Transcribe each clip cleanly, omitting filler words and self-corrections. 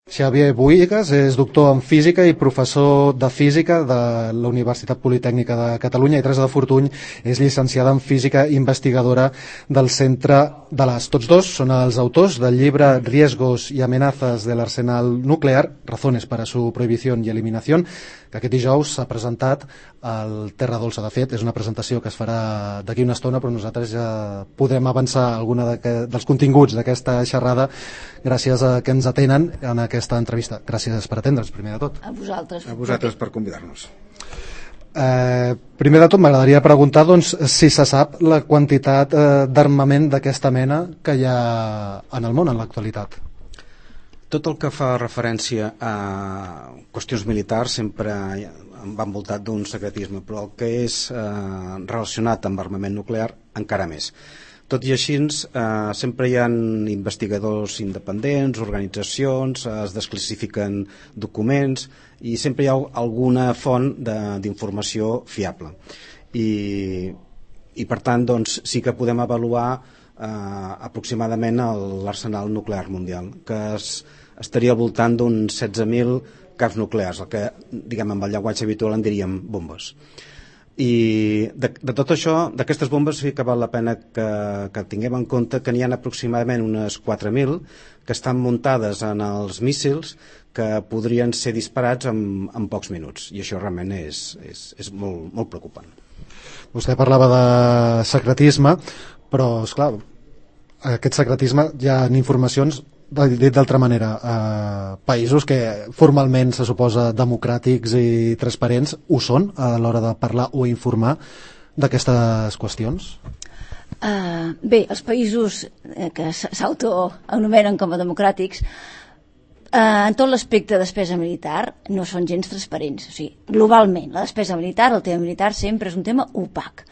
Xavier Buïgas és doctor en física i professor de física de la Universitat Politècnica de Catalunya, i Teresa de Fortuny és llicenciada en física i investigadora del Centre de l'AS. Tots dos són els autors del llibre Riesgos y amenazas del arsenal nuclear, razones para su prohibición y eliminación, que aquest dijous s'ha presentat al Terra Dolça. De fet, és una presentació que es farà d'aquí una estona, però nosaltres ja podrem avançar alguna dels continguts d'aquesta xerrada gràcies a que ens atenen en aquesta entrevista. Gràcies per atendre'ns, primer de tot. A vosaltres. A vosaltres per convidar-nos. Primer de tot m'agradaria preguntar si se sap la quantitat d'armament d'aquesta mena que hi ha en el món en l'actualitat. Tot el que fa referència a qüestions militars sempre va envoltat d'un secretisme, però el que és relacionat amb armament nuclear encara més. Tot i així, sempre hi ha investigadors independents, organitzacions, es desclassifiquen documents i sempre hi ha alguna font d'informació fiable. I per tant, sí que podem avaluar aproximadament l'arsenal nuclear mundial, que estaria al voltant d'uns 16.000 caps nuclears, el que, diguem, amb el llenguatge habitual en diríem bombes. I de tot això, d'aquestes bombes, sí que val la pena que tinguem en compte que n'hi ha aproximadament unes 4.000 que estan muntades en els míssils que podrien ser disparats en pocs minuts, i això realment és molt, molt preocupant. Vostè parlava de secretisme, però, esclar, aquest secretisme hi ha informacions, dit d'altra manera, països que formalment se suposa democràtics i transparents ho són a l'hora de parlar o informar d'aquestes qüestions? Bé, els països que s'autoanomenen com a democràtics en tot l'aspecte de despesa militar no són gens transparents. O sigui, globalment, la despesa militar, el tema militar sempre és un tema opac.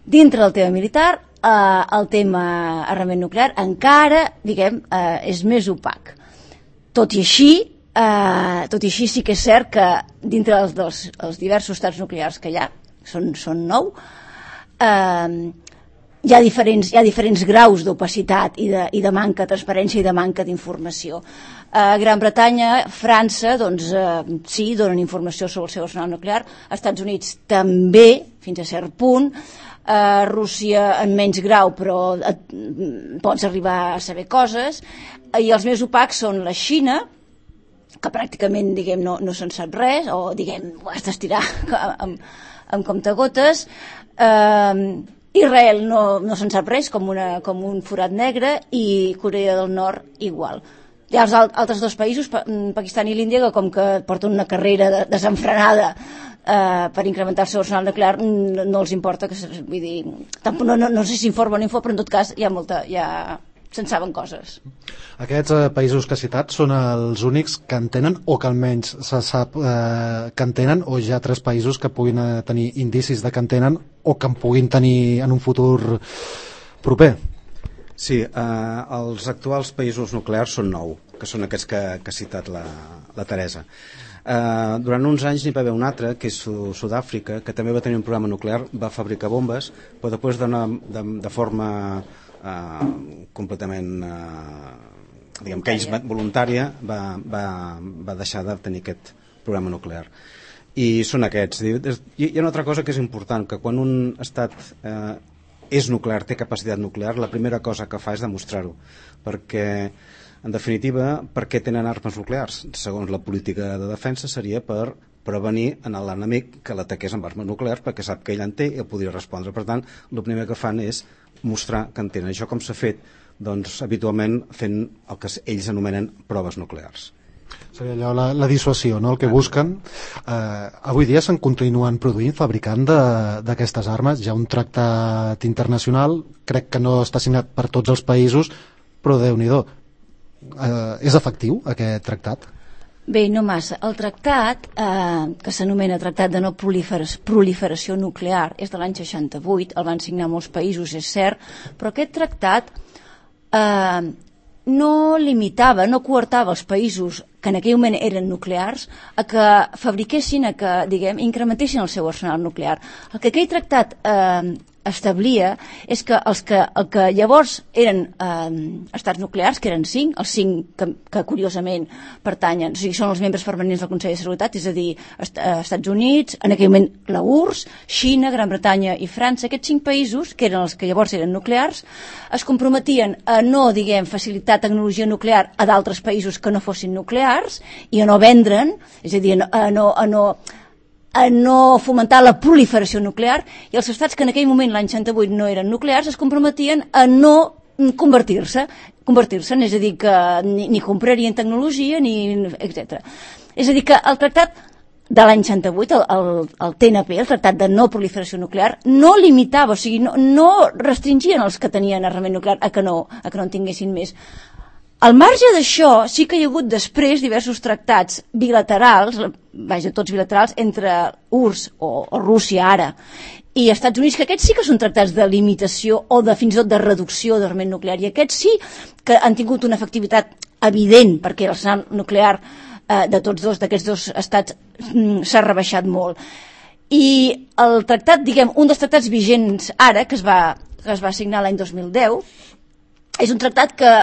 Dintre del tema militar, el tema armament nuclear encara, diguem, és més opac. Tot i així sí que és cert que dintre dels diversos estats nuclears que hi ha, són 9, hi ha diferents graus d'opacitat i de manca de transparència i de manca d'informació. A Gran Bretanya, França, sí, donen informació sobre el seu arsenal nuclear. Als Estats Units també, fins a cert punt. Rússia en menys grau, però pots arribar a saber coses. I els més opacs són la Xina, que pràcticament, diguem, no se'n sap res, o, diguem, ho has d'estirar amb comptagotes. Israel no se'n sap res, com un forat negre, i Corea del Nord igual. Hi ha els altres dos països, Pakistan i l'Índia, que com que porten una carrera desenfrenada per incrementar el seu arsenal nuclear, no els importa, vull dir, no sé si informa o no informa, però en tot cas se'n saben coses. Aquests països que ha citat són els únics que en tenen, o que almenys se sap que en tenen, o hi ha altres països que puguin tenir indicis de que en tenen o que en puguin tenir en un futur proper? Sí, els actuals països nuclears són 9, que són aquests que ha citat la Teresa. Durant uns anys n'hi va haver un altre, que és Sud-àfrica, que també va tenir un programa nuclear, va fabricar bombes, però després de forma completament diguem que ells voluntària va deixar de tenir aquest programa nuclear. I són aquests. Hi ha una altra cosa que és important, que quan un estat és nuclear, té capacitat nuclear, la primera cosa que fa és demostrar-ho, perquè en definitiva, per què tenen armes nuclears? Segons la política de defensa seria per prevenir en l'enemic que l'ataqués amb armes nuclears, perquè sap que ell en té i el podria respondre. Per tant, el primer que fan és mostrar que en tenen. Això com s'ha fet? Doncs habitualment fent el que ells anomenen proves nuclears. Seria allò, la dissuasió, no? El que busquen. Avui dia se'n continuen produint, fabricant d'aquestes armes. Hi ha un tractat internacional, crec que no està signat per tots els països, però Déu-n'hi-do. És efectiu aquest tractat? Bé, no massa. El tractat, que s'anomena Tractat de no proliferació nuclear, és de l'any 68, el van signar molts països, és cert, però aquest tractat no limitava, no coartava els països que en aquell moment eren nuclears a que fabriquessin, a que, diguem, incrementessin el seu arsenal nuclear. El que aquell tractat establia és que el que llavors eren estats nuclears, que eren 5, els 5 que curiosament pertanyen, o sigui, són els membres permanents del Consell de Seguretat, és a dir, Estats Units, en aquell moment la URSS, Xina, Gran Bretanya i França, aquests 5 països, que eren els que llavors eren nuclears, es comprometien a no, facilitar tecnologia nuclear a d'altres països que no fossin nuclears i a no vendre'n, és a dir, a no fomentar la proliferació nuclear, i els estats que en aquell moment, l'any 68, no eren nuclears, es comprometien a no convertir-se, és a dir, que ni comprarien tecnologia, etc. És a dir, que el tractat de l'any 68, el TNP, el Tractat de No Proliferació Nuclear, no limitava, o sigui, no restringien els que tenien armament nuclear a que no en tinguessin més. Al marge d'això, sí que hi ha hagut després diversos tractats bilaterals, tots bilaterals, entre URSS o Rússia ara i Estats Units, que aquests sí que són tractats de limitació o fins i tot de reducció d'armament nuclear, i aquests sí que han tingut una efectivitat evident, perquè l'arsenal nuclear d'aquests dos estats s'ha rebaixat molt. I el tractat, un dels tractats vigents ara, que es va signar l'any 2010, és un tractat que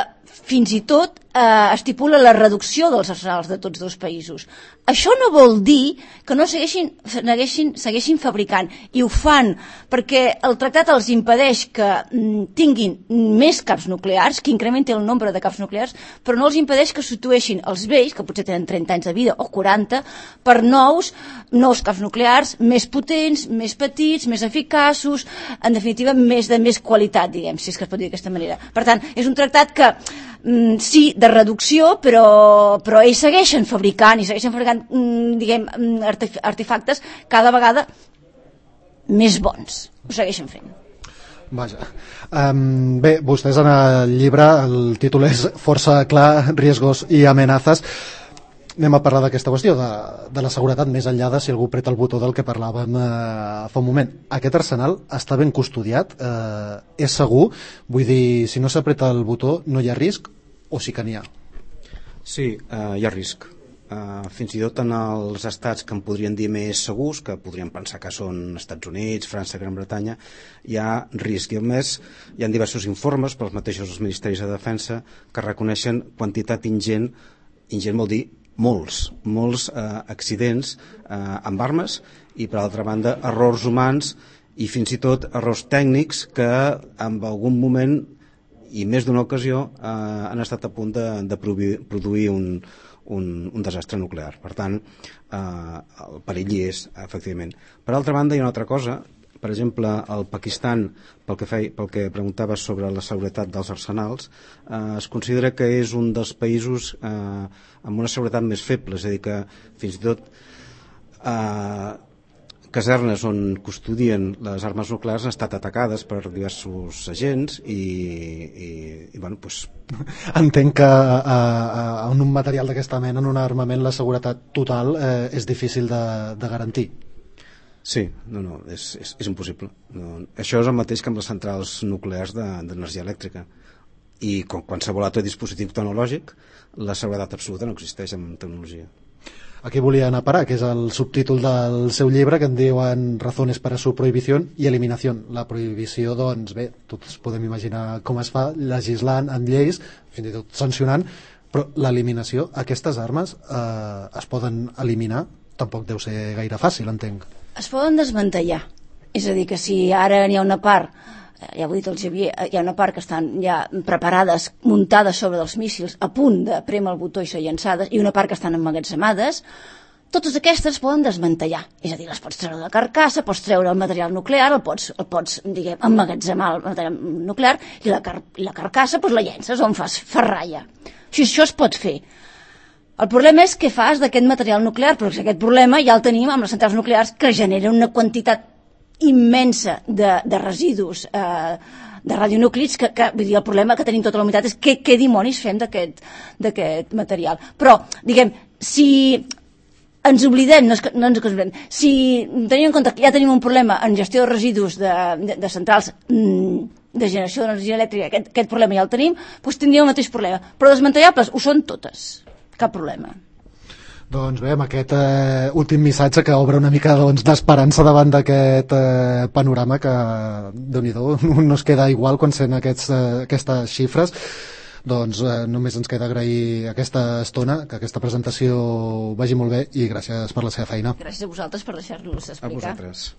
fins i tot estipula la reducció dels arsenals de tots dos països. Això no vol dir que no segueixin fabricant, i ho fan perquè el tractat els impedeix que tinguin més caps nuclears, que incrementi el nombre de caps nuclears, però no els impedeix que substitueixin els vells, que potser tenen 30 anys de vida o 40, per nous caps nuclears més potents, més petits, més eficaços, en definitiva de més qualitat, si és que es pot dir d'aquesta manera. Per tant, és un tractat que sí, de reducció, però ells segueixen fabricant artefactes cada vegada més bons. Ho segueixen fent. Vaja. Bé, vostès en el llibre, el títol és força clar, riesgos i amenazes. Anem a parlar d'aquesta qüestió, de la seguretat, més enllà de si algú preta el botó del que parlàvem fa un moment. Aquest arsenal està ben custodiat? És segur? Vull dir, si no s'apreta el botó, no hi ha risc? O sí que n'hi ha? Sí, hi ha risc. Fins i tot en els estats que en podrien dir més segurs, que podríem pensar que són Estats Units, França, Gran Bretanya, hi ha risc. I a més, hi ha diversos informes pels mateixos ministeris de defensa que reconeixen quantitat ingent vol dir molts accidents amb armes, i per altra banda errors humans i fins i tot errors tècnics que en algun moment i més d'una ocasió han estat a punt de produir un desastre nuclear. Per tant, el perill hi és, efectivament. Per altra banda, hi ha una altra cosa. Per exemple, el Pakistan, pel que preguntaves sobre la seguretat dels arsenals, es considera que és un dels països amb una seguretat més feble, és a dir, que fins i tot casernes on custodien les armes nuclears han estat atacades per diversos agents i bueno, doncs... Entenc que en un material d'aquesta mena, en un armament, la seguretat total és difícil de garantir. Sí, és impossible. Això és el mateix que amb les centrals nuclears d'energia elèctrica. I com qualsevol altre dispositiu tecnològic, la seguretat absoluta no existeix en tecnologia. Aquí volia anar a parar, que és el subtítol del seu llibre, que en diuen Razones para su prohibición y eliminación. La prohibició, doncs bé, tots podem imaginar com es fa, legislant amb lleis, fins i tot sancionant, però l'eliminació, aquestes armes es poden eliminar? Tampoc deu ser gaire fàcil, entenc. Es poden desmantellar. És a dir, que si ara n'hi ha una part, ja ho ha dit el Xavier, hi ha una part que estan ja preparades, muntades sobre dels míssils, a punt de prémer el botó i ser llançades, i una part que estan emmagatzemades, totes aquestes poden desmantellar. És a dir, les pots treure de la carcassa, pots treure el material nuclear, el pots emmagatzemar el material nuclear, i la carcassa la llences on fas ferralla. Això es pot fer. El problema és què fas d'aquest material nuclear, però aquest problema ja el tenim amb les centrals nuclears, que generen una quantitat immensa de residus de radionúclids, que vull dir, el problema que tenim tota la humanitat és què dimonis fem d'aquest material. Però, si ens oblidem, si tenim en compte que ja tenim un problema en gestió de residus de centrals de generació d'energia elèctrica, aquest problema ja el tenim, doncs tindríem el mateix problema. Però desmantellables ho són totes, cap problema. Doncs bé, amb aquest últim missatge que obre una mica d'esperança davant d'aquest panorama que, Déu-n'hi-do, no es queda igual quan sent aquestes xifres. Doncs només ens queda agrair aquesta estona, que aquesta presentació vagi molt bé i gràcies per la seva feina. Gràcies a vosaltres per deixar-nos explicar. A vosaltres.